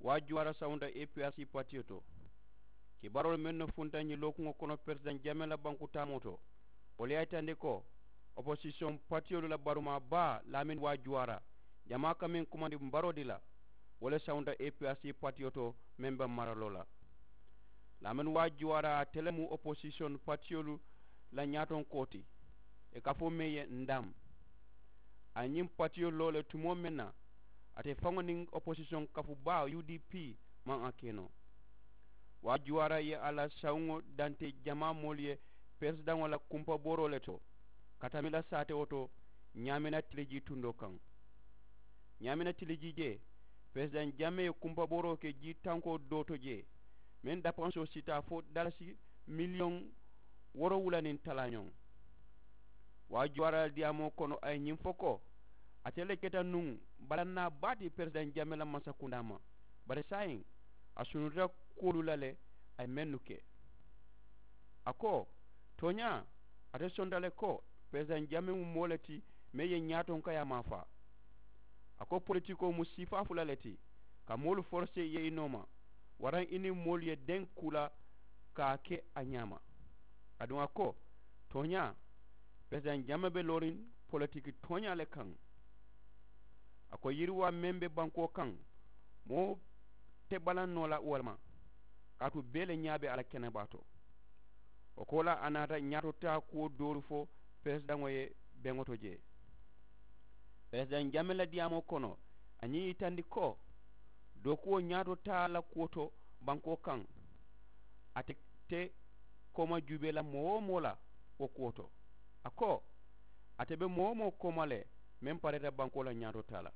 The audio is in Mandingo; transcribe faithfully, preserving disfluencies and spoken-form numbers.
Waajuwaara sawunta epiyaasi patiyo to. Kibaaroolu mennu funta ñiŋ lookuŋo kono peresidaŋ jamee la banku taamoo to, wolu ye a yitandi ko oposisiyoŋ patiyolu la barumaa baa laamini waajuwaara jamaa ka meŋ kumandi mbaroo di la, wo le sawunta epiyaasi patiyo to meŋ be maraloo la. Laamini waajuwaara ate le mu oposisiyoŋ patiyolu la ñaatonkoo ti, ì ka a fo meŋ ye ndam. A ye ñiŋ patiyo loo le tumoo meŋ na, ate faŋo niŋ oposisiyoŋ kafu baa u d p maŋ a ke noo. Waajuwaara ye a la sawuŋo dante jamaa moolu ye peresidaŋo la kumpabooroo le to ka tamila saatewo to ñaamina tilijii tundoo kaŋ. Ñaamina tilijii jee, peresidaŋ jamee ye kumpabooroo ke jii tankoo doo to jee, meŋ dapansoo si taa fo dalasi miliyoŋ woorowula niŋ talaañoŋ. Waajuwaara la diyaamoo kono a ye ñiŋ fo ko ate le keta nuŋ balannaa baa ti peresidaŋ jamee la mansakundaa ma, bari saayiŋ a sunuta kuwolu la le a ye mennu ke. A ko tooñaa, ate sonta le ko peresidaŋ jamee mu moo le ti meŋ ye ñaatonkayaa maafaa. A ko politikoo mu sifaa fula le ti, ka moolu forosee ye i nooma waraŋ i niŋ moolu ye deŋ kuu la ka a ke a ñaama. Aduŋ a ko tooñaa, peresidaŋ jamee be looriŋ politiki tooñaa le kaŋ. A ko yiriwaa meŋ be bankoo kaŋ, moo te balaŋ noo la wo le ma, kaatu bee le ñaa be a la kenebaa to. Wo koolaa a naata ñaatotaa kuwo doolu fo peresidaŋo ye beŋo to jee. Peresidaŋ jamee la diyaamoo kono a ñiŋ yitandi ko dookuwo ñaatotaa la kuwo to bankoo kaŋ, ate te kooma juubee la moo-wo-moo la wo kuwo to. A ko ate be moo-wo-moo kooma le meŋ pareeta bankoo la ñaatotaa la.